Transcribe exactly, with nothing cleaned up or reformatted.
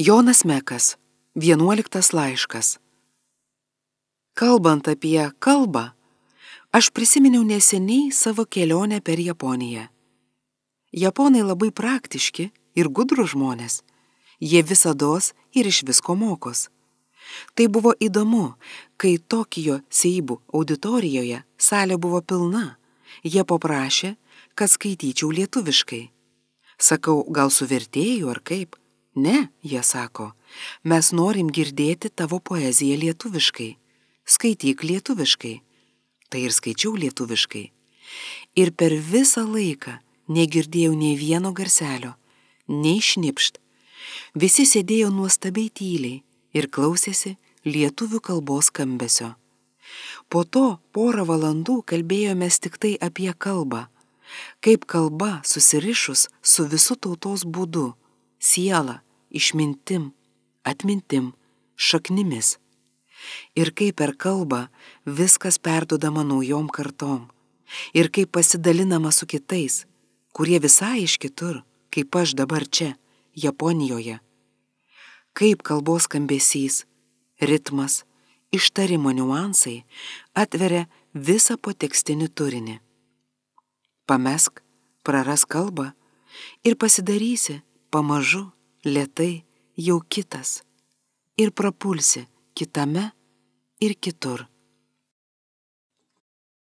Jonas Mekas, vienuoliktas laiškas. Kalbant apie kalbą, aš prisiminiau neseniai savo kelionę per Japoniją. Japonai labai praktiški ir gudrūs žmonės. Jie visados ir iš visko mokos. Tai buvo įdomu, kai Tokijo Seibų auditorijoje salė buvo pilna. Jie paprašė, kad skaityčiau lietuviškai. Sakau, gal su vertėju ar kaip? Ne, jie sako, mes norim girdėti tavo poeziją lietuviškai. Skaityk lietuviškai. Tai ir skaičiau lietuviškai. Ir per visą laiką negirdėjau nei vieno garselio, nei šnipšt. Visi sėdėjo nuostabiai tyliai ir klausėsi lietuvių kalbos skambesio. Po to porą valandų kalbėjomės tik tai apie kalbą, kaip kalba susirišus su visu tautos būdu, siela, išmintim, atmintim, šaknimis. Ir kaip per kalbą viskas perduodama naujom kartom. Ir kaip pasidalinama su kitais, kurie visai iš kitur, kaip aš dabar čia, Japonijoje. Kaip kalbos skambesys, ritmas, ištarimo niuansai atveria visą potekstinį turinį. Pamesk, praras kalbą ir pasidarysi pamažu, lėtai jau kitas ir prapulsi kitame ir kitur.